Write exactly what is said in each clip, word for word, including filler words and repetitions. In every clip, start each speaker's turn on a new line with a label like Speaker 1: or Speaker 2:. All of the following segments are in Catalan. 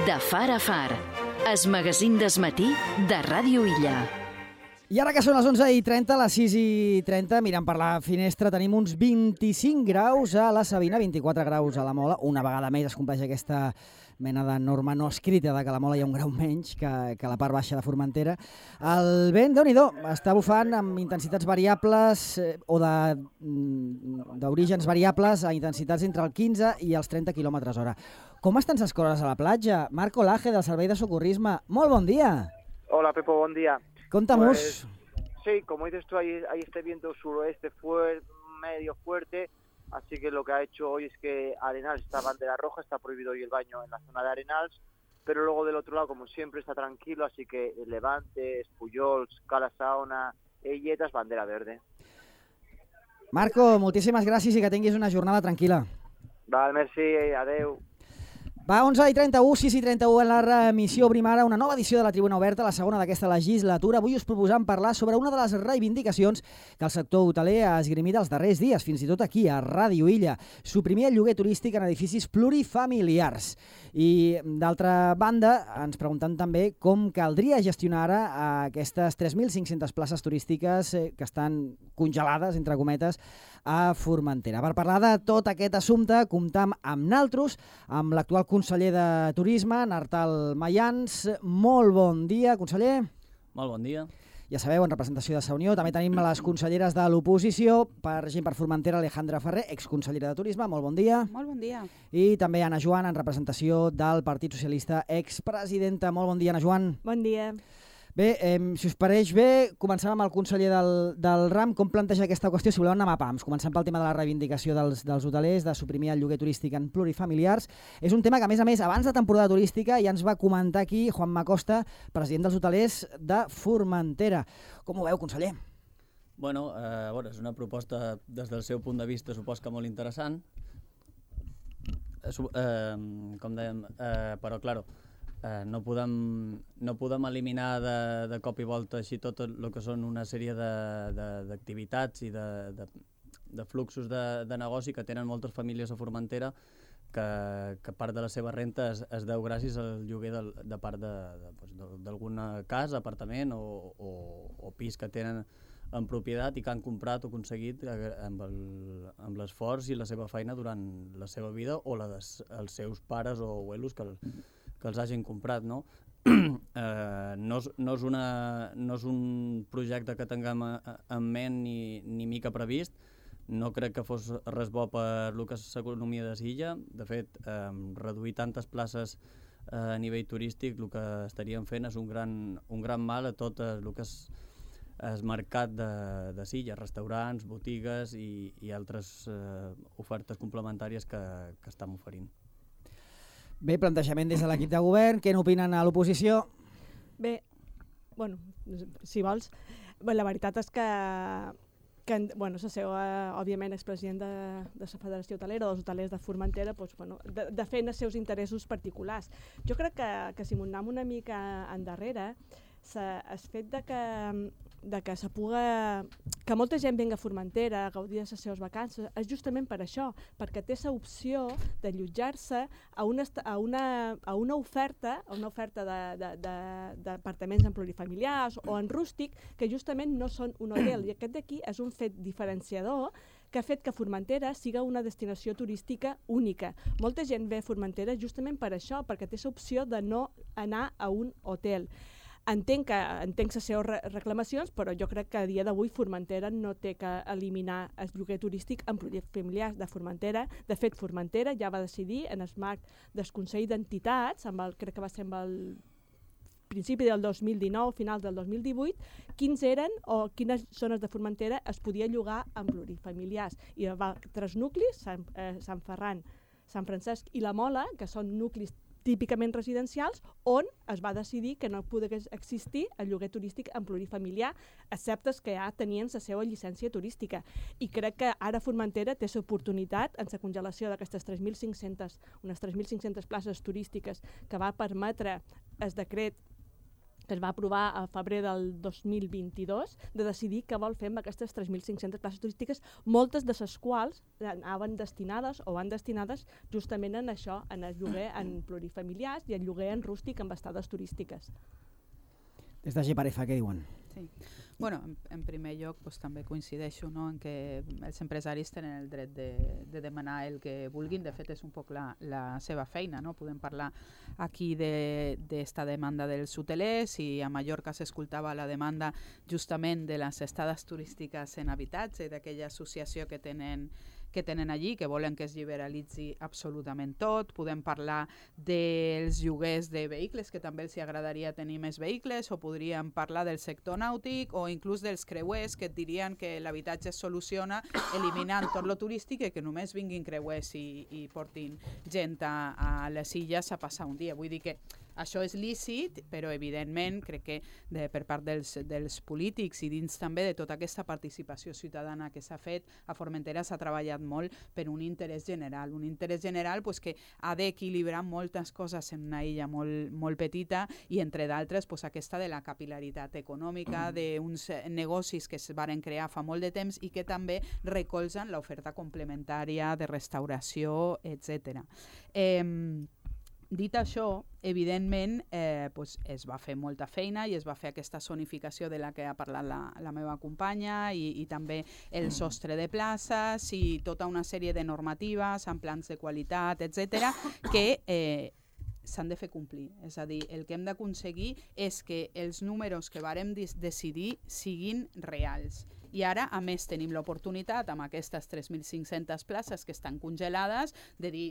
Speaker 1: De far a far, es magazín d'esmatí de Ràdio Illa.
Speaker 2: I ara que són les onze i trenta, les sis i trenta, mirant per la finestra, tenim uns vint-i-cinc graus a la Sabina, vint-i-quatre graus a la Mola. Una vegada més es compleix aquesta mena de norma no escrita de que a la Mola hi ha un grau menys que, que a la part baixa de Formentera. El vent, Déu-n'hi-do, està bufant amb intensitats variables eh, o d'orígens variables a intensitats entre el quinze i els trenta quilòmetres hora. Com estan les coses a la platja? Marco Laje, del Servei de Socorrisme. Molt bon dia.
Speaker 3: Hola, Pepo, buen día.
Speaker 2: Contamos.
Speaker 3: Pues, sí, como dices tú, hay, hay este viento suroeste fuerte, medio fuerte, así que lo que ha hecho hoy es que Arenals está bandera roja, está prohibido hoy el baño en la zona de Arenals, pero luego del otro lado, como siempre, está tranquilo, así que Levante, Pujols, Cala Saona, Eilletas, bandera verde.
Speaker 2: Marco, moltíssimes gràcies i que tinguis una jornada tranquil·la.
Speaker 3: Val, merci, adeu.
Speaker 2: Va, onze i trenta-u, sis i trenta-u en la remissió. Obrim ara una nova edició de la Tribuna Oberta, la segona d'aquesta legislatura. Avui us proposam parlar sobre una de les reivindicacions que el sector hoteler ha esgrimit els darrers dies, fins i tot aquí, a Ràdio Illa. Suprimir el lloguer turístic en edificis plurifamiliars. I, d'altra banda, ens preguntant també com caldria gestionar ara aquestes tres mil cinc-centes places turístiques que estan congelades, entre cometes, a Formentera. Per parlar de tot aquest assumpte, comptam amb naltros, amb l'actual conseller de Turisme, Nartal Mayans. Molt bon dia, conseller.
Speaker 4: Molt bon dia.
Speaker 2: Ja sabeu, en representació de Sa Unió, també tenim les conselleres de l'oposició, per gent per Formentera, Alejandra Ferrer, exconsellera de Turisme. Molt bon dia.
Speaker 5: Molt bon dia.
Speaker 2: I també Anna Joan, en representació del Partit Socialista, expresidenta. Molt bon dia, Anna Joan.
Speaker 5: Bon dia.
Speaker 2: Bé, eh, si us pareix bé, comencem amb el conseller del, del RAM. Com planteja aquesta qüestió? Si voleu anar a pams, començant pel tema de la reivindicació dels, dels hotelers, de suprimir el lloguer turístic en plurifamiliars. És un tema que, a més a més, abans de temporada turística ja ens va comentar aquí Juanma Costa, president dels hotelers de Formentera. Com ho veu, conseller?
Speaker 4: Bueno, eh, bueno, és una proposta, des del seu punt de vista, supos que molt interessant. Eh, eh, com dèiem, eh, però, claro, Eh, no, podem, no podem eliminar de, de cop i volta així tot el que són una sèrie d'activitats i de, de, de fluxos de, de negoci que tenen moltes famílies a Formentera que, que part de la seva renta es, es deu gràcies al lloguer de, de part d'alguna casa, apartament o, o, o pis que tenen en propietat i que han comprat o aconseguit amb l'esforç i la seva feina durant la seva vida o la dels seus pares o abuelos que el, que els hagin comprat, no? eh, no, és, no, és una, no és un projecte que tinguem en ment ni, ni mica previst. No crec que fos res bo per el que és l'economia de l'illa. De fet, eh, reduir tantes places eh, a nivell turístic el que estaríem fent és un gran, un gran mal a tot el que és el mercat de, de l'illa, restaurants, botigues i, i altres eh, ofertes complementàries que, que estem oferint.
Speaker 2: Bé, plantejament des de l'equip de govern. Què n'opinen a l'oposició?
Speaker 5: Bé, bueno, si vols, bé, la veritat és que, que bueno, la seva, òbviament, expresident de, de la Federació Hotelera, dels hotelers de Formentera, doncs, bueno, de, defèn els seus interessos particulars. Jo crec que, que si m'ho anem una mica endarrere, el fet de que, de que se puga, que molta gent venga a Formentera a gaudir de les seves vacances és justament per això, perquè té l'opció d'allotjar-se a una, a, una, a una oferta, a una oferta d'apartaments en plurifamiliars o en rústic que justament no són un hotel. I aquest d'aquí és un fet diferenciador que ha fet que Formentera siga una destinació turística única. Molta gent ve a Formentera justament per això, perquè té l'opció de no anar a un hotel. Entenc que entenc les seves reclamacions, però jo crec que a dia d'avui Formentera no té que eliminar el lloguer turístic en plurifamiliars de Formentera. De fet, Formentera ja va decidir en el marc del Consell d'Entitats, crec que va ser amb el principi del dos mil dinou, finals del dos mil divuit, quins eren o quines zones de Formentera es podia llogar en plurifamiliars. I hi va tres nuclis, Sant, eh, Sant Ferran, Sant Francesc i la Mola, que són nuclis típicament residencials, on es va decidir que no pogués existir el lloguer turístic en plurifamiliar, excepte que ja tenien la seva llicència turística. I crec que ara Formentera té l'oportunitat, en la congelació d'aquestes tres mil cinc-centes, unes tres mil cinc-centes places turístiques que va permetre el decret que es va aprovar a febrer del dos mil vint-i-dos, de decidir què vol fer amb aquestes tres mil cinc-centes places turístiques, moltes de les quals anaven destinades o van destinades justament en això, en el lloguer en plurifamiliars i el lloguer en rústic amb estades turístiques.
Speaker 2: Des de Geparefa, què diuen?
Speaker 6: Sí. Bueno, en, en primer lloc pues, també coincideixo, no?, en que els empresaris tenen el dret de, de demanar el que vulguin. De fet, és un poc la, la seva feina, no? Podem parlar aquí d'esta de, demanda dels hotelers, i a Mallorca s'escoltava la demanda justament de les estades turístiques en habitatge i d'aquella associació que tenen que tenen allí, que volen que es liberalitzi absolutament tot. Podem parlar dels lloguers de vehicles, que també els agradaria tenir més vehicles, o podríem parlar del sector nàutic o inclús dels creuers, que et dirien que l'habitatge es soluciona eliminant tot lo turístic i que només vinguin creuers i, i portin gent a, a les illes a passar un dia. Vull dir que això és lícit, però evidentment crec que de, per part dels, dels polítics i dins també de tota aquesta participació ciutadana que s'ha fet, a Formentera s'ha treballat molt per un interès general, un interès general pues, que ha d'equilibrar moltes coses en una illa molt, molt petita, i entre d'altres pues, aquesta de la capilaritat econòmica, d'uns negocis que es varen crear fa molt de temps i que també recolzen l'oferta complementària de restauració, etcètera. Eh, Dit això, evidentment eh, pues es va fer molta feina i es va fer aquesta zonificació de la que ha parlat la, la meva companya, i, i també el sostre de places i tota una sèrie de normatives amb plans de qualitat, etcètera, que eh, s'han de fer complir. És a dir, el que hem d'aconseguir és que els números que vàrem decidir siguin reals. I ara, a més, tenim l'oportunitat amb aquestes tres mil cinc-centes places que estan congelades de dir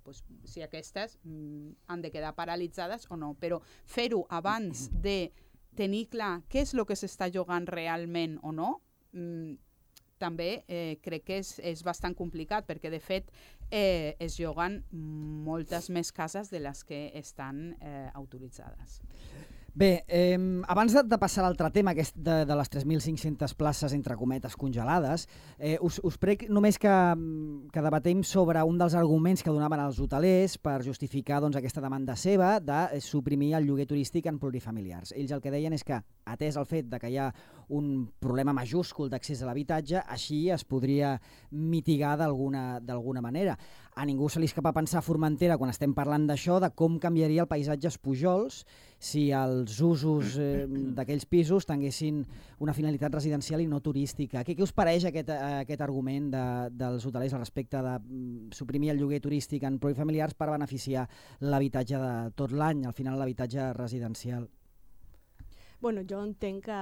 Speaker 6: pues, si aquestes mm, han de quedar paralitzades o no. Però fer-ho abans de tenir clar què és el que s'està jugant realment o no, mm, també eh, crec que és, és bastant complicat, perquè de fet eh, es juguen moltes més cases de les que estan eh, autoritzades.
Speaker 2: Bé, eh, abans de, de passar a l'altre tema, aquest de, de les tres mil cinc-centes places, entre cometes, congelades, eh, us, us prec només que, que debatem sobre un dels arguments que donaven els hotelers per justificar doncs, aquesta demanda seva de suprimir el lloguer turístic en plurifamiliars. Ells el que deien és que, atès el fet de que hi ha un problema majúscul d'accés a l'habitatge, així es podria mitigar d'alguna d'alguna manera. A ningú se li escapa pensar a Formentera, quan estem parlant d'això, de com canviaria el paisatge als Pujols si els usos eh, d'aquells pisos tinguessin una finalitat residencial i no turística. Què, què us pareix aquest, aquest argument de, dels hotelers al respecte de suprimir el lloguer turístic en plurifamiliars per beneficiar l'habitatge de tot l'any, al final l'habitatge residencial?
Speaker 5: Bueno, jo entenc que,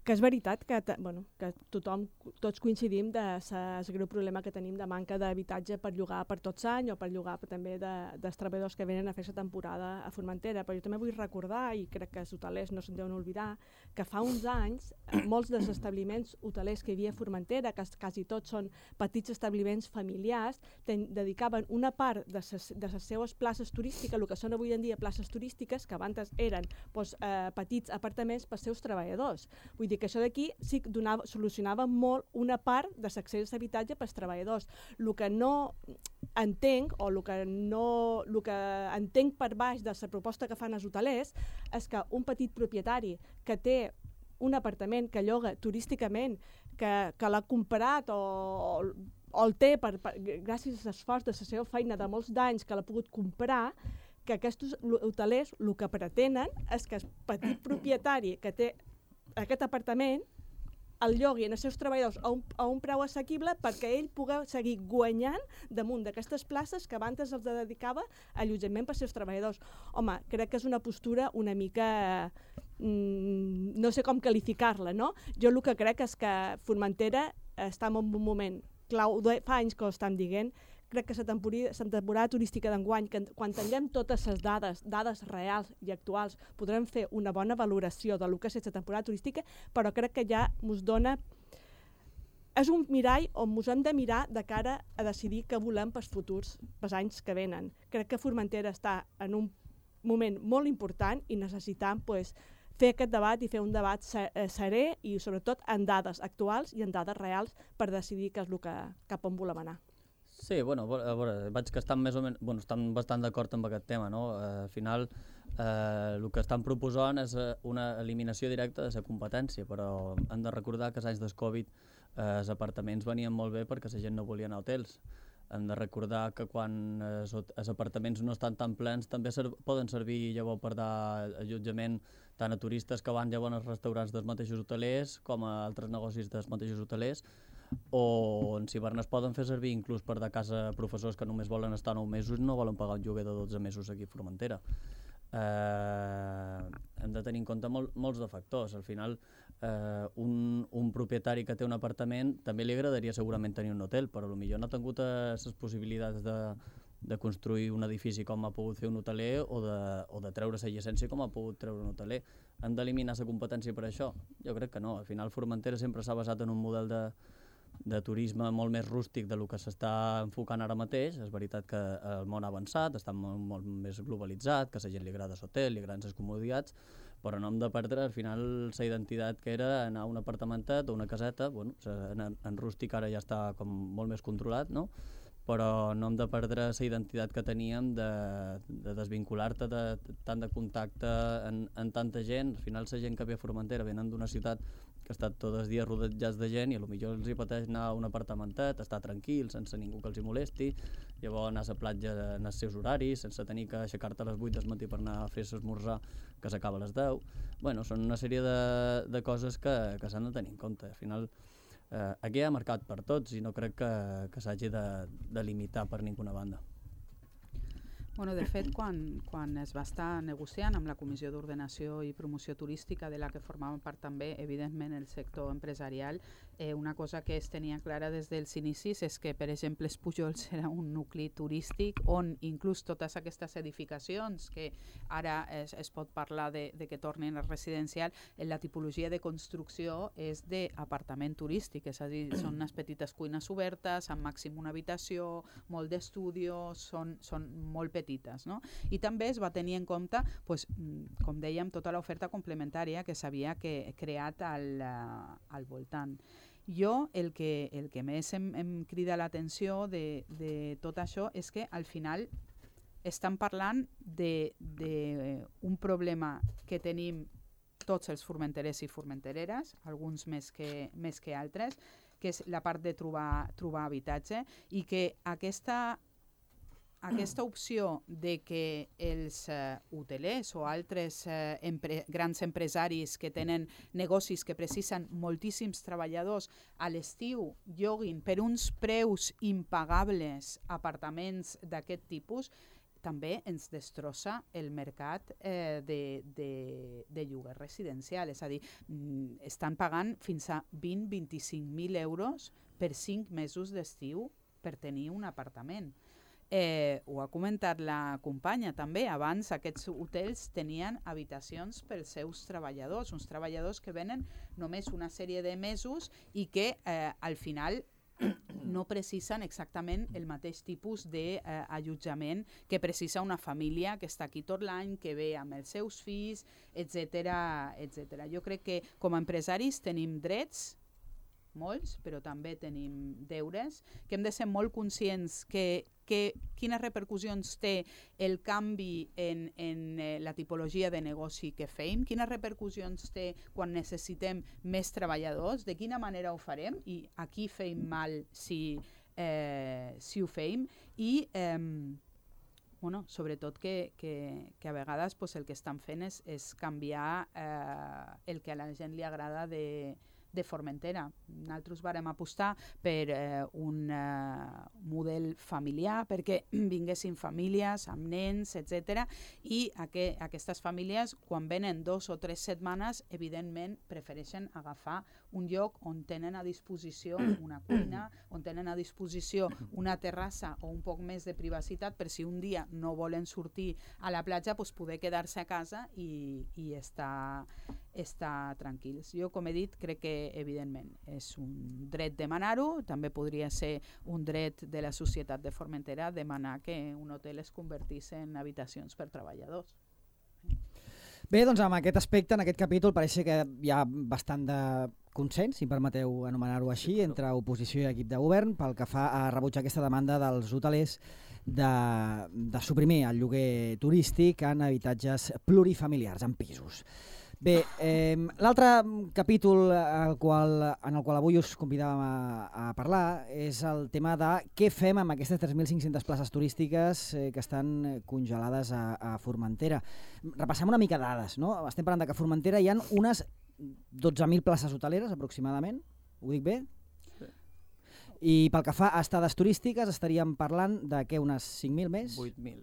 Speaker 5: que és veritat que, bueno, que tothom, tots coincidim de el greu problema que tenim de manca d'habitatge per llogar per tots anys o per llogar també de, dels treballadors que venen a fer la temporada a Formentera. Però jo també vull recordar, i crec que els hotelers no se'n deuen oblidar, que fa uns anys molts dels establiments hotelers que hi havia a Formentera, que quasi tots són petits establiments familiars, ten, dedicaven una part de les de les seues places turístiques, el que són avui en dia places turístiques, que abans eren doncs, eh, petits apartaments per als seus treballadors. Vull dir que això d'aquí sí que donava, solucionava molt una part de l'accés a l'habitatge pels treballadors. El que no entenc, o el que, no, el que entenc per baix de la proposta que fan els hotelers, és que un petit propietari que té un apartament que lloga turísticament, que, que l'ha comprat o, o el té per, per, gràcies a l'esforç de la seva feina de molts d'anys que l'ha pogut comprar, que aquests hotelers el que pretenen és que el petit propietari que té aquest apartament el llogui als seus treballadors a un, a un preu assequible perquè ell pugui seguir guanyant damunt d'aquestes places que abans els dedicava a allotjament per als seus treballadors. Home, crec que és una postura una mica... Mm, no sé com qualificar-la, no? Jo el que crec és que Formentera està en un moment clau, fa anys que ho estan dient. Crec que la temporada, la temporada turística d'enguany, que quan tinguem totes les dades, dades reals i actuals, podrem fer una bona valoració de lo que és la temporada turística, però crec que ja ens dona... És un mirall on ens hem de mirar de cara a decidir què volem pels futurs, pels anys que venen. Crec que Formentera està en un moment molt important i necessitam pues, fer aquest debat i fer un debat serè i sobretot en dades actuals i en dades reals per decidir què és el que, cap on volem anar.
Speaker 4: Sí, bueno, a veure, vaig que estan més o menys, bueno, estan bastant d'acord amb aquest tema, no? Al final, Eh, el que estan proposant és una eliminació directa de la competència, però hem de recordar que els anys del Covid eh, els apartaments venien molt bé perquè la gent no volia anar a hotels. Hem de recordar que quan els, els apartaments no estan tan plens també ser, poden servir llavors per dar allotjament tant a turistes que van llavors als restaurants dels mateixos hotelers com a altres negocis dels mateixos hotelers, o en hivern es poden fer servir inclús per de casa professors que només volen estar nou mesos i no volen pagar un lloguer de dotze mesos aquí a Formentera. Eh, hem de tenir en compte mol, molts de factors. Al final, eh, un, un propietari que té un apartament també li agradaria segurament tenir un hotel, però potser no ha tingut les possibilitats de, de construir un edifici com ha pogut fer un hoteler o de, o de treure la llicència com ha pogut treure un hoteler. Hem d'eliminar la competència per això? Jo crec que no. Al final, Formentera sempre s'ha basat en un model de de turisme molt més rústic de lo que s'està enfocant ara mateix. És veritat que el món ha avançat, està molt, molt més globalitzat, que a la gent li agrada l'hotel, li agraden les comoditats, però no hem de perdre al final la identitat que era anar a un apartamentet o una caseta. Bueno, en, en rústic ara ja està com molt més controlat, no? Però no hem de perdre la identitat que teníem de, de desvincular-te de, tant de contacte en, en tanta gent. Al final la gent que ve a Formentera venen d'una ciutat que ha estat tots els dies rodejats de gent i potser els hi pateix anar a un apartamentet, estar tranquil, sense ningú que els hi molesti, llavors anar a la platja en els seus horaris, sense tenir que aixecar-te a les vuit del matí per anar a fer l'esmorzar que s'acaba a les deu. Bueno, són una sèrie de, de coses que, que s'han de tenir en compte. Al final, eh, aquí hi ha mercat per tots i no crec que, que s'hagi de, de limitar per ninguna banda.
Speaker 6: Bueno, de fet, quan, quan es va estar negociant amb la Comissió d'Ordenació i Promoció Turística, de la que formava part també, evidentment, el sector empresarial, eh, una cosa que es tenia clara des dels inicis és que, per exemple, els Pujols era un nucli turístic on inclús totes aquestes edificacions que ara es, es pot parlar de, de que tornin a residencial, en la tipologia de construcció és d'apartament turístic, és a dir, són unes petites cuines obertes, amb màxim una habitació, molt d'estudios, són, són molt petites. Petites, no? I també es va tenir en compte, pues, com dèiem, tota l'oferta complementària que s'havia que, creat al, al voltant. Jo el que, el que més em, em crida l'atenció de, de tot això és que al final estan parlant d'un problema que tenim tots els formenterers i formentereres, alguns més que, més que altres, que és la part de trobar, trobar habitatge, i que aquesta Aquesta opció de que els uh, hotelers o altres uh, empre grans empresaris que tenen negocis que precisen moltíssims treballadors a l'estiu lloguin per uns preus impagables apartaments d'aquest tipus, també ens destrossa el mercat eh, de, de, de lloguer residencial. És a dir, mm, estan pagant fins a vint a vint-i-cinc mil euros per cinc mesos d'estiu per tenir un apartament. Eh, ho ha comentat la companya també, abans aquests hotels tenien habitacions pels seus treballadors, uns treballadors que venen només una sèrie de mesos i que eh, al final no precisen exactament el mateix tipus d'allotjament eh, que precisa una família que està aquí tot l'any, que ve amb els seus fills, etcètera, etcètera. Jo crec que com a empresaris tenim drets, molts, però també tenim deures, que hem de ser molt conscients que, que quines repercussions té el canvi en, en eh, la tipologia de negoci que fem, quines repercussions té quan necessitem més treballadors, de quina manera ho farem i a qui fem mal si, eh, si ho fem, i eh, bueno, sobretot que, que, que a vegades pues, el que estan fent és, és canviar eh, el que a la gent li agrada de de Formentera. Nosaltres vàrem apostar per eh, un eh, model familiar, perquè vinguessin famílies amb nens, etcètera, i aqu aquestes famílies, quan venen dos o tres setmanes, evidentment prefereixen agafar un lloc on tenen a disposició una cuina, on tenen a disposició una terrassa o un poc més de privacitat per si un dia no volen sortir a la platja, doncs poder quedar-se a casa i, i estar, estar tranquils. Jo, com he dit, crec que evidentment és un dret demanar-ho, també podria ser un dret de la societat de Formentera demanar que un hotel es convertís en habitacions per treballadors.
Speaker 2: Bé, doncs amb aquest aspecte, en aquest capítol, pareix que hi ha bastant de consens, si em permeteu anomenar-ho així, entre oposició i equip de govern pel que fa a rebutjar aquesta demanda dels hotelers de, de suprimir el lloguer turístic en habitatges plurifamiliars, en pisos. Bé, eh, l'altre capítol al qual, en el qual avui us convidàvem a, a parlar és el tema de què fem amb aquestes tres mil cinc-centes places turístiques eh, que estan congelades a, a Formentera. Repassem una mica dades, no? Estem parlant de que a Formentera hi ha unes dotze mil places hoteleres aproximadament, ho dic bé?
Speaker 4: Sí.
Speaker 2: I pel que fa a estades turístiques estaríem parlant de què, unes cinc mil més?
Speaker 4: vuit mil.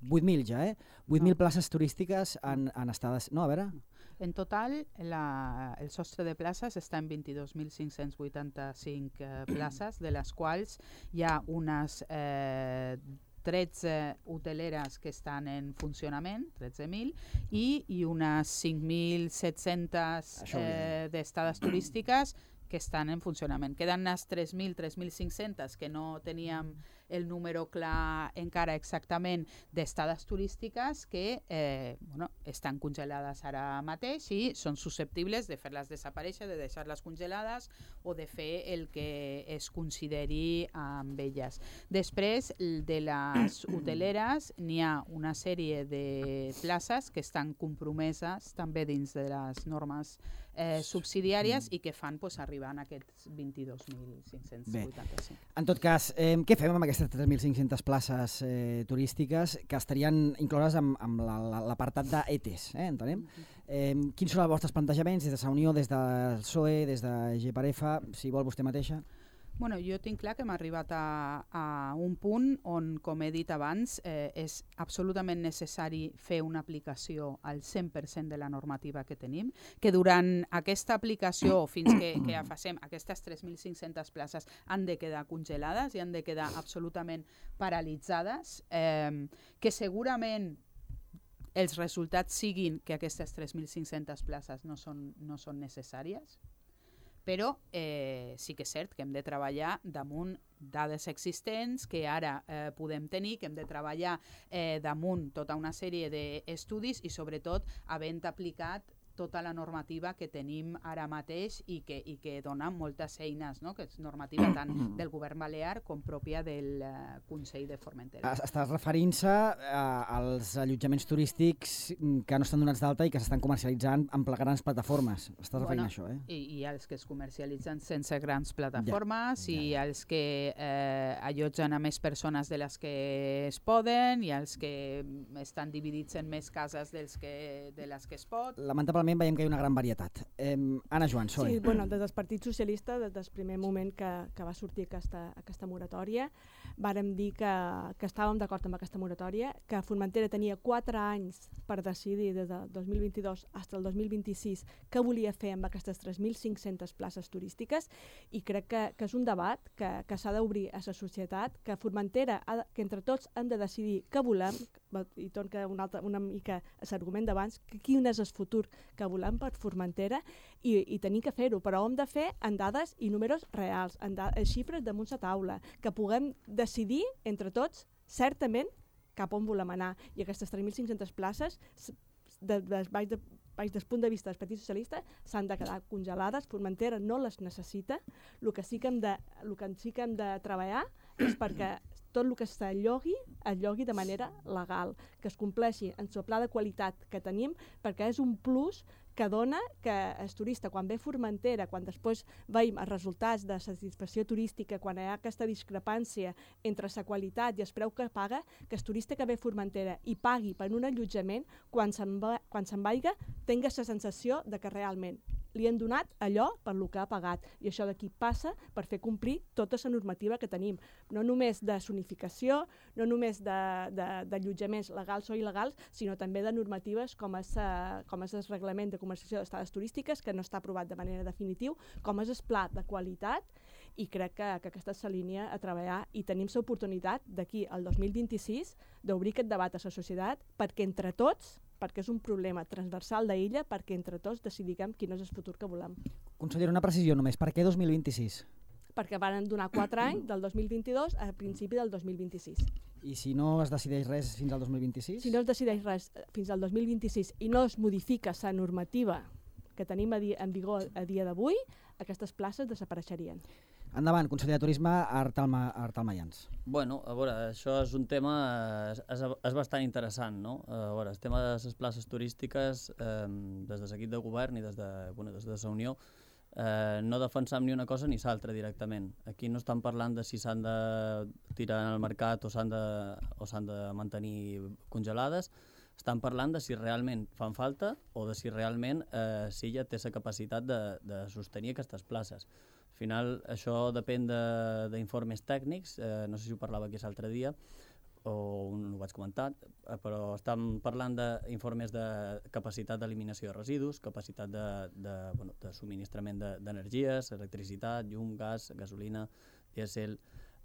Speaker 2: vuit mil ja, eh? vuit mil
Speaker 6: No.
Speaker 2: places turístiques en, en estades... No, a veure...
Speaker 6: En total, la, el sostre de places està en vint-i-dos mil cinc-cents vuitanta-cinc eh, places, de les quals hi ha unes eh, tretze hoteleres que estan en funcionament, tretze mil, i, i unes cinc mil set-cents eh, d'estades turístiques que estan en funcionament. Queden unes tres mil, tres mil cinc-cents que no teníem el número clar encara exactament d'estades turístiques que eh, bueno, estan congelades ara mateix i són susceptibles de fer-les desaparèixer, de deixar-les congelades o de fer el que es consideri amb elles. Després, de les hoteleres, n'hi ha una sèrie de places que estan compromeses també dins de les normes eh, subsidiàries i que fan pues, arribar a aquests vint-i-dos mil cinc-cents vuitanta-cinc.
Speaker 2: En tot cas, eh, què fem amb aquestes tres mil cinc-centes places eh, turístiques que estarien incloses amb, amb l'apartat d'E T E S, eh, entenem? Eh, quins són els vostres plantejaments des de Sa Unió, des del P S O E, des de G per F, si vol vostè mateixa?
Speaker 6: Bueno, jo tinc clar que hem arribat a, a un punt on, com he dit abans, eh, és absolutament necessari fer una aplicació al cent per cent de la normativa que tenim, que durant aquesta aplicació, fins que, que ja facem, aquestes tres mil cinc-centes places han de quedar congelades i han de quedar absolutament paralitzades, eh, que segurament els resultats siguin que aquestes tres mil cinc-centes places no són, no són necessàries, però eh, sí que és cert que hem de treballar damunt dades existents que ara eh, podem tenir, que hem de treballar eh, damunt tota una sèrie d'estudis i sobretot havent aplicat tota la normativa que tenim ara mateix i que, i que dona moltes eines, no? Que és normativa tant del govern balear com pròpia del uh, Consell de Formentera.
Speaker 2: Estàs referint-se als allotjaments turístics que no estan donats d'alta i que s'estan comercialitzant amb grans plataformes. Estàs referint
Speaker 6: bueno,
Speaker 2: a això, eh?
Speaker 6: I, I els que es comercialitzen sense grans plataformes ja, ja, ja. i els que eh, allotgen a més persones de les que es poden i els que estan dividits en més cases dels que, de les que es pot.
Speaker 2: Lamentablement veiem que hi ha una gran varietat. Eh, Anna Joan, P S O E.
Speaker 5: Sí, bueno, des del Partit Socialista, des del primer moment que, que va sortir aquesta, aquesta moratòria, vàrem dir que, que estàvem d'acord amb aquesta moratòria, que Formentera tenia quatre anys per decidir des del dos mil vint-i-dos fins al dos mil vint-i-sis què volia fer amb aquestes tres mil cinc-centes places turístiques i crec que, que és un debat que, que s'ha d'obrir a la societat, que Formentera, ha de, que entre tots hem de decidir què volem, i torna una, altra, una mica a l'argument d'abans, que quin és el futur que volem per Formentera i, i tenim que fer-ho, però ho hem de fer en dades i números reals, en, da en xifres damunt la taula, que puguem decidir entre tots certament cap on volem anar. I aquestes tres mil cinc-centes places, de, de, baix, de, baix del punt de vista del Partit Socialista, s'han de quedar congelades. Formentera no les necessita. El que sí que hem de, el que sí que hem de treballar és perquè tot el que s'allogui, es llogui de manera legal, que es compleixi en el pla de qualitat que tenim, perquè és un plus que dona que el turista, quan ve a Formentera, quan després veiem els resultats de satisfacció turística, quan hi ha aquesta discrepància entre la qualitat i el preu que paga, que el turista que ve a Formentera i pagui per un allotjament, quan se'n va, quan se'n vaiga, tingui la sensació de que realment li han donat allò per lo que ha pagat. I això d'aquí passa per fer complir tota la normativa que tenim. No només de zonificació, no només d'allotjaments legals o il·legals, sinó també de normatives com és, com és el reglament de comercialització d'estades turístiques, que no està aprovat de manera definitiva, com és el pla de qualitat, i crec que, que aquesta és la línia a treballar i tenim l'oportunitat d'aquí al dos mil vint-i-sis d'obrir aquest debat a la societat perquè entre tots, perquè és un problema transversal d'illa, perquè entre tots decidim quin és el futur que volem.
Speaker 2: Consellera, una precisió només. Per què dos mil vint-i-sis?
Speaker 5: Perquè van donar quatre anys, del dos mil vint-i-dos a principi del dos mil vint-i-sis.
Speaker 2: I si no es decideix res fins al dos mil vint-i-sis?
Speaker 5: Si no es decideix res fins al dos mil vint-i-sis i no es modifica la normativa que tenim en vigor a dia d'avui, aquestes places desapareixerien.
Speaker 2: Endavant, conseller de Turisme, Artal, Ma Artal Mayans.
Speaker 4: Bueno, a veure, això és un tema, és, és bastant interessant, no? A veure, el tema de les places turístiques, eh, des de l'equip de govern i des de, bueno, des de la Unió, eh, no defensam ni una cosa ni l'altra directament. Aquí no estan parlant de si s'han de tirar al mercat o s'han de, o s'han de mantenir congelades, estan parlant de si realment fan falta o de si realment eh, Silla té la capacitat de, de sostenir aquestes places. Al final això depèn d'informes tècnics, eh, no sé si ho parlava aquí l'altre dia o ho vaig comentar, eh, però estem parlant d'informes de capacitat d'eliminació de residus, capacitat de, de, bueno, de subministrament d'energies, de, electricitat, llum, gas, gasolina, dièsel,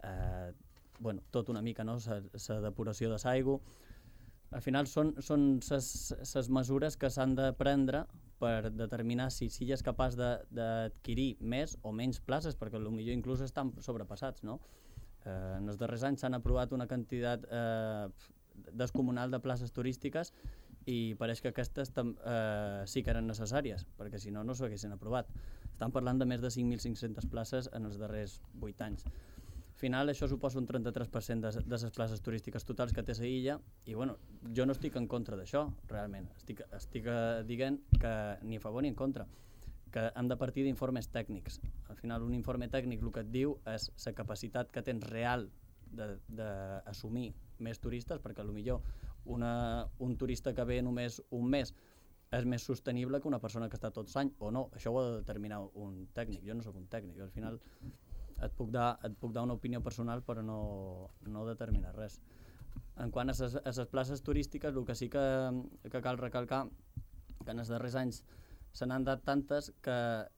Speaker 4: eh, bueno, tot una mica, no? La depuració de l'aigua. Al final són les mesures que s'han de prendre per determinar si Silla és capaç d'adquirir més o menys places, perquè potser inclús estan sobrepassats, no? Eh, en els darrers anys s'han aprovat una quantitat eh, descomunal de places turístiques i pareix que aquestes eh, sí que eren necessàries, perquè si no, no s'haguessin aprovat. Estan parlant de més de cinc mil cinc-centes places en els darrers vuit anys. Al final això suposa un trenta-tres per cent de, de les places turístiques totals que té la illa i bueno, jo no estic en contra d'això, realment. Estic, estic dient que ni a favor ni en contra, que hem de partir d'informes tècnics. Al final un informe tècnic el que et diu és la capacitat que tens real d'assumir més turistes, perquè potser una, un turista que ve només un mes és més sostenible que una persona que està tots l'any o no. Això ho ha de determinar un tècnic. Jo no sóc un tècnic, al final et puc dar, et puc dar una opinió personal però no, no determinar res. En quant a les places turístiques, el que sí que, que cal recalcar que en els darrers anys se n'han dat tantes que,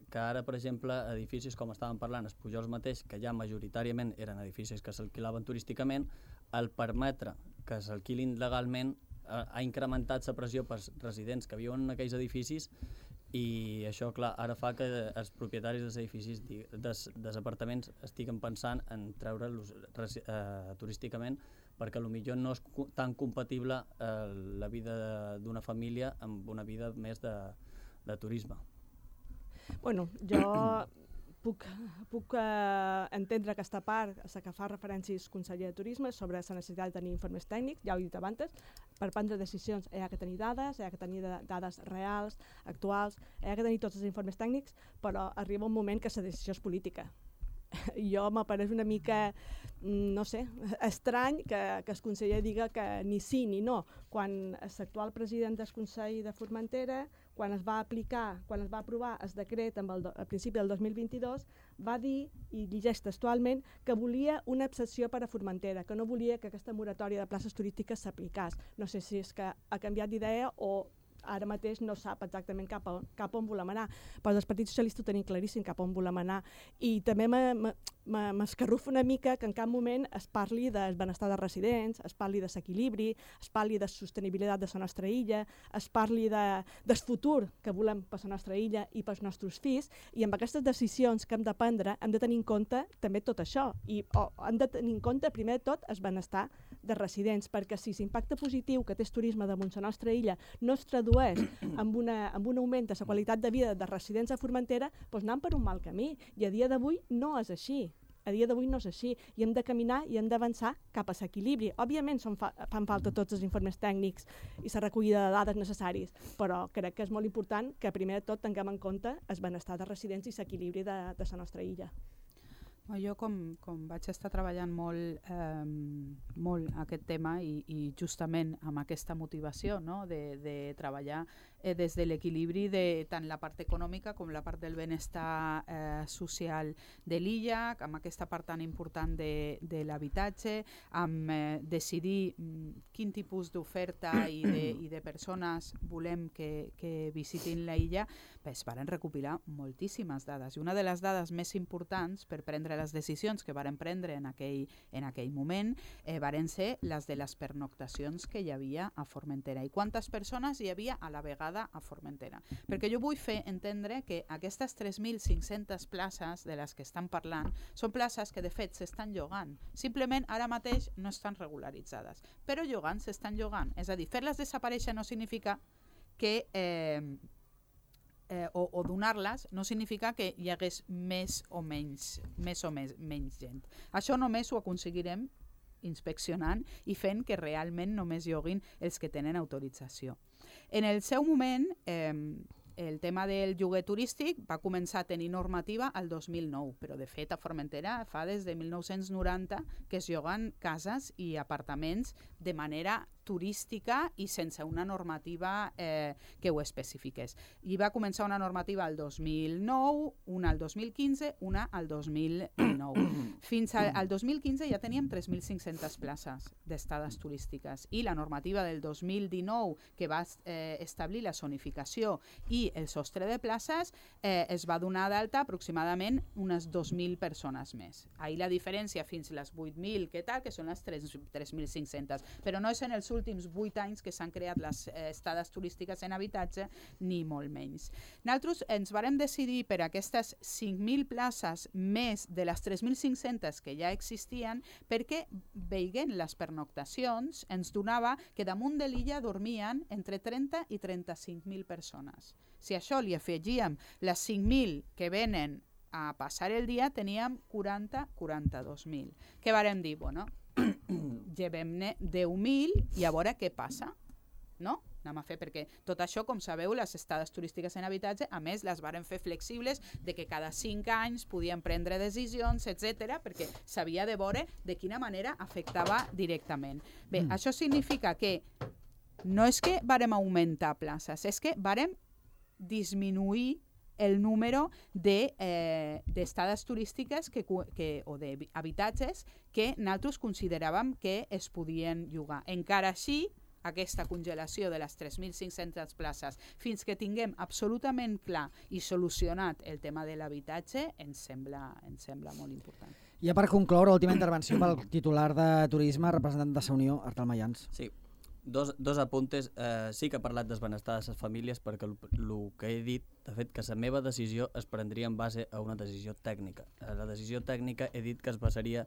Speaker 4: que ara, per exemple, edificis com estàvem parlant, els Pujols mateix, que ja majoritàriament eren edificis que s'alquilaven turísticament, el permetre que s'alquilin legalment ha, ha incrementat la pressió per residents que viuen en aquells edificis i això, clar, ara fa que els propietaris dels edificis, dels, dels apartaments, estiguen pensant en treure'ls eh, turísticament perquè potser no és tan compatible eh, la vida d'una família amb una vida més de, de turisme.
Speaker 5: Bueno, jo puc, puc eh, entendre aquesta part, la que fa referències al conseller de Turisme sobre la necessitat de tenir informes tècnics, ja ho he dit abans, per prendre decisions hi ha que tenir dades, hi ha que tenir dades reals, actuals, hi ha que tenir tots els informes tècnics, però arriba un moment que la decisió és política. Jo m'apareix una mica, no sé, estrany que, que el conseller diga que ni sí ni no, quan l'actual president del Consell de Formentera, quan es va aplicar, quan es va aprovar el decret amb el, a principi del dos mil vint-i-dos, va dir, i llegeix textualment, que volia una excepció per a Formentera, que no volia que aquesta moratòria de places turístiques s'aplicés. No sé si és que ha canviat d'idea o ara mateix no sap exactament cap on, cap on volem anar, però el Partit Socialista ho tenim claríssim cap on volem anar i també m'escarrufa una mica que en cap moment es parli del benestar dels residents, es parli de l'equilibri, es parli de sostenibilitat de la nostra illa, es parli de, del futur que volem per la nostra illa i pels nostres fills, i amb aquestes decisions que hem de prendre hem de tenir en compte també tot això i oh, hem de tenir en compte primer de tot el benestar de residents, perquè si l'impacte positiu que té el turisme damunt la nostra illa no es tradueix amb, una, amb un augment de la qualitat de vida de residents a Formentera, doncs anem per un mal camí, i a dia d'avui no és així. A dia d'avui no és així, i hem de caminar i hem d'avançar cap a l'equilibri. Òbviament són fa, fan falta tots els informes tècnics i la recollida de dades necessaris, però crec que és molt important que primer de tot tinguem en compte el benestar de residents i l'equilibri de, de la nostra illa.
Speaker 6: Jo, com, com vaig estar treballant molt, eh, molt aquest tema i, i justament amb aquesta motivació, no? de, de treballar eh, des de l'equilibri de tant la part econòmica com la part del benestar eh, social de l'illa, amb aquesta part tan important de, de l'habitatge, amb eh, decidir mm, quin tipus d'oferta i, de, i de persones volem que, que visitin la illa, pues, varen recopilar moltíssimes dades. I una de les dades més importants per prendre les decisions que varen prendre en aquell, en aquell moment eh, varen ser les de les pernoctacions que hi havia a Formentera i quantes persones hi havia a la vegada a Formentera. Perquè jo vull fer entendre que aquestes tres mil cinc-centes places de les que estan parlant són places que de fet s'estan llogant. Simplement ara mateix no estan regularitzades, però llogant s'estan llogant. És a dir, fer-les desaparèixer no significa que... Eh, eh, o, o donar-les no significa que hi hagués més o menys, més o més, menys gent. Això només ho aconseguirem inspeccionant i fent que realment només hi haguin els que tenen autorització. En el seu moment, eh, el tema del lloguer turístic va començar a tenir normativa el dos mil nou, però de fet a Formentera fa des de mil nou-cents noranta que es lloguen cases i apartaments de manera turística i sense una normativa eh, que ho especifiqués. I va començar una normativa el dos mil nou, una el dos mil quinze, una el dos mil dinou. Fins al, al dos mil quinze ja teníem tres mil cinc-centes places d'estades turístiques i la normativa del dos mil dinou que va eh, establir la zonificació i el sostre de places eh, es va donar d'alta aproximadament unes dos mil persones més. Ahir la diferència fins a les vuit mil, que tal, que són les tres mil cinc-centes, però no és en els últims vuit anys que s'han creat les eh, estades turístiques en habitatge, ni molt menys. Nosaltres ens vàrem decidir per aquestes cinc mil places més de les tres mil cinc-centes que ja existien perquè, veient les pernoctacions, ens donava que damunt de l'illa dormien entre trenta i trenta-cinc mil persones. Si a això li afegíem les cinc mil que venen a passar el dia, teníem quaranta a quaranta-dos mil. Què vàrem dir? Bueno, llevem-ne deu mil i a veure què passa, no? Anem a fer, perquè tot això, com sabeu, les estades turístiques en habitatge, a més, les varen fer flexibles de que cada cinc anys podien prendre decisions, etcètera, perquè s'havia de veure de quina manera afectava directament. Bé, mm. això significa que no és que vàrem augmentar places, és que vàrem disminuir el número de, eh, d'estades turístiques que, que, o d'habitatges que nosaltres consideràvem que es podien llogar. Encara així, aquesta congelació de les tres mil cinc-centes places fins que tinguem absolutament clar i solucionat el tema de l'habitatge ens sembla, ens sembla molt important.
Speaker 2: I per concloure, última intervenció pel titular de Turisme, representant de Sa Unió, Artal Mayans.
Speaker 4: Sí. Dos, dos apuntes. Eh, sí que he parlat del benestar de les famílies perquè el que he dit, de fet, que la meva decisió es prendria en base a una decisió tècnica. La decisió tècnica he dit que es basaria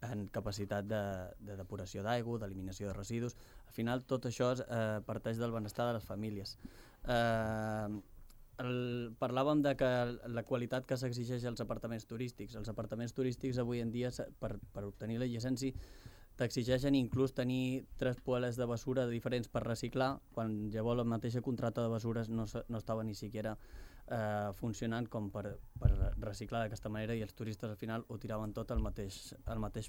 Speaker 4: en capacitat de, de depuració d'aigua, d'eliminació de residus. Al final tot això es, eh, parteix del benestar de les famílies. Eh, el, parlàvem de que la qualitat que s'exigeix als apartaments turístics. Els apartaments turístics avui en dia, per, per obtenir la llicència, t'exigeixen inclús tenir tres poeles de basura diferents per reciclar, quan llavors la mateixa contracta de basures no, no estava ni siquiera eh, funcionant com per, per reciclar d'aquesta manera i els turistes al final ho tiraven tot al mateix, al mateix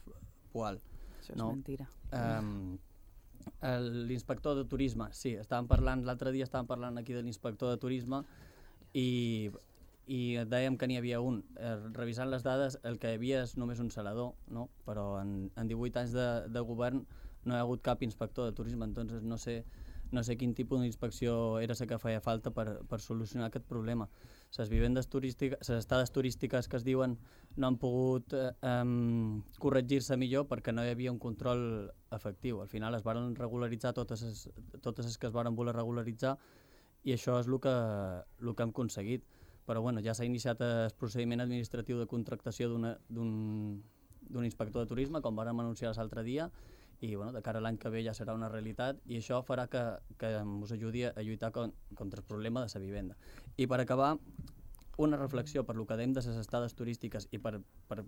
Speaker 4: poal.
Speaker 6: Això és
Speaker 4: no?
Speaker 6: mentira.
Speaker 4: Eh, l'inspector de turisme, sí, estàvem parlant, l'altre dia estàvem parlant aquí de l'inspector de turisme i... i dèiem que n'hi havia un. Eh, revisant les dades, el que hi havia és només un salador, no? Però en, en divuit anys de, de govern no hi ha hagut cap inspector de turisme, entonces no sé, no sé quin tipus d'inspecció era la que feia falta per, per solucionar aquest problema. Les vivendes turístiques, les estades turístiques que es diuen no han pogut eh, um, corregir-se millor perquè no hi havia un control efectiu. Al final es van regularitzar totes les, totes les que es van voler regularitzar i això és el que, el que hem aconseguit. Però bueno, ja s'ha iniciat el procediment administratiu de contractació d'un inspector de turisme, com vàrem anunciar l'altre dia, i bueno, de cara a l'any que ve ja serà una realitat i això farà que, que us ajudi a lluitar con, contra el problema de la vivenda. I per acabar, una reflexió per lo que dèiem de les estades turístiques i per, per,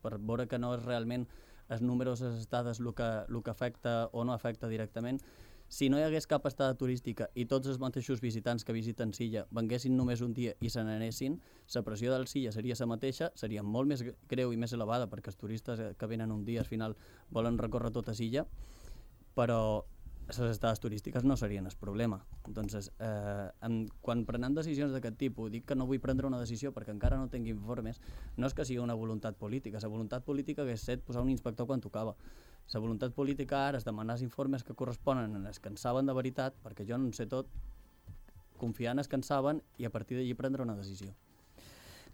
Speaker 4: per veure que no és realment els números de les estades el que, el que afecta o no afecta directament. Si no hi hagués cap estada turística i tots els mateixos visitants que visiten Silla venguessin només un dia i se n'anessin, la pressió del Silla seria la mateixa, seria molt més greu i més elevada perquè els turistes que venen un dia al final volen recórrer tota Silla, però les estades turístiques no serien el problema. Entonces, eh, en, quan prenem decisions d'aquest tipus, dic que no vull prendre una decisió perquè encara no tinc informes, no és que sigui una voluntat política, la voluntat política hagués set posar un inspector quan tocava. La voluntat política ara és demanar els informes que corresponen a els que en saben de veritat, perquè jo no en sé tot, confiar en els que en saben i a partir d'allí prendre una decisió.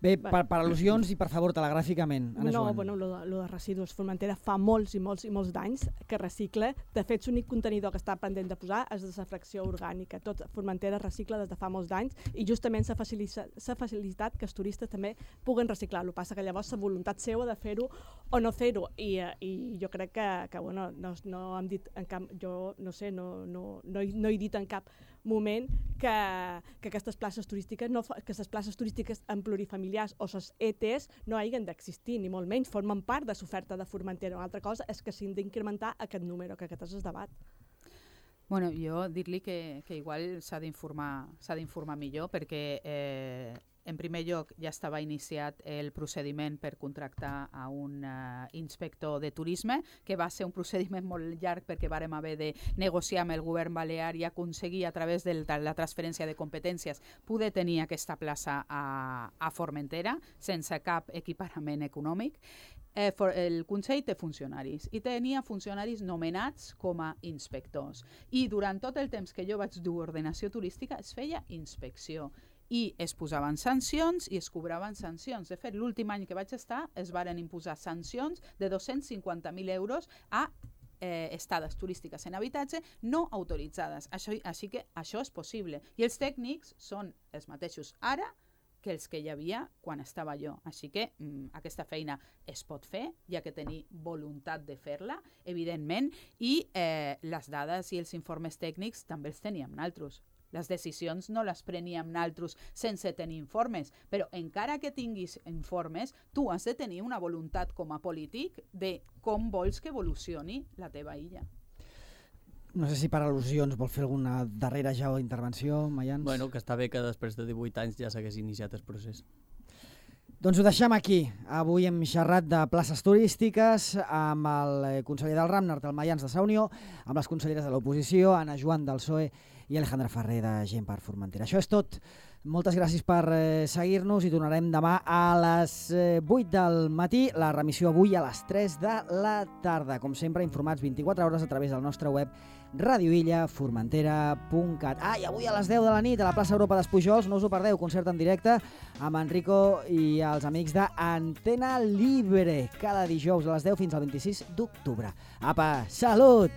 Speaker 2: Bé, per, per al·lusions i per favor, telegràficament, Anna
Speaker 5: No,
Speaker 2: Joan.
Speaker 5: bueno, lo, de- lo de residus. Formentera fa molts i molts i molts d'anys que recicla. De fet, l'únic contenidor que està pendent de posar és de la fracció orgànica. Tot Formentera recicla des de fa molts d'anys i justament s'ha facilita, s'ha facilitat que els turistes també puguen reciclar. El que passa que llavors la voluntat seva de fer-ho o no fer-ho. I, eh, i jo crec que, que bueno, no, no hem dit en cap, jo no sé, no, no, no, he, no he dit en cap moment que, que aquestes places turístiques, no, fa- que les places turístiques en plurifamiliars o les E Ts no hagin d'existir, ni molt menys, formen part de l'oferta de Formentera. Una altra cosa és que s'han d'incrementar aquest número, que aquest és el debat.
Speaker 6: Bueno, jo dir-li que, que igual s'ha d'informar s'ha d'informar millor perquè eh, en primer lloc ja estava iniciat el procediment per contractar a un uh, inspector de turisme, que va ser un procediment molt llarg perquè vàrem haver de negociar amb el govern balear i aconseguir a través de la transferència de competències poder tenir aquesta plaça a, a Formentera sense cap equiparament econòmic. Eh, for, el Consell té funcionaris i tenia funcionaris nomenats com a inspectors i durant tot el temps que jo vaig dur ordenació turística es feia inspecció i es posaven sancions i es cobraven sancions. De fet, l'últim any que vaig estar es varen imposar sancions de dos-cents cinquanta mil euros a eh, estades turístiques en habitatge no autoritzades. Això, així que això és possible. I els tècnics són els mateixos ara que els que hi havia quan estava jo. Així que mm, aquesta feina es pot fer, hi ha que tenir voluntat de fer-la, evidentment, i eh, les dades i els informes tècnics també els teníem naltros. Les decisions no les preníem naltros sense tenir informes, però encara que tinguis informes, tu has de tenir una voluntat com a polític de com vols que evolucioni la teva illa.
Speaker 2: No sé si per al·lusions vol fer alguna darrera ja o intervenció, Mayans?
Speaker 4: Bueno, que està bé que després de divuit anys ja s'hagués iniciat el procés.
Speaker 2: Doncs ho deixem aquí. Avui hem xerrat de places turístiques amb el conseller del RAM, Nartel Mayans de Sa Unió, amb les conselleres de l'oposició, Anna Joan del P S O E i Alejandra Ferrer de Gent per Formentera. Això és tot. Moltes gràcies per eh, seguir-nos i tornarem demà a les eh, vuit del matí, la remissió avui a les tres de la tarda. Com sempre, informats vint-i-quatre hores a través del nostre web radioilla formentera punt cat. Ah, i avui a les deu de la nit a la plaça Europa d'Espujols, no us ho perdeu, concert en directe amb Enrico i els amics d'Antena Libre, cada dijous a les deu fins al vint-i-sis d'octubre. Apa, salut!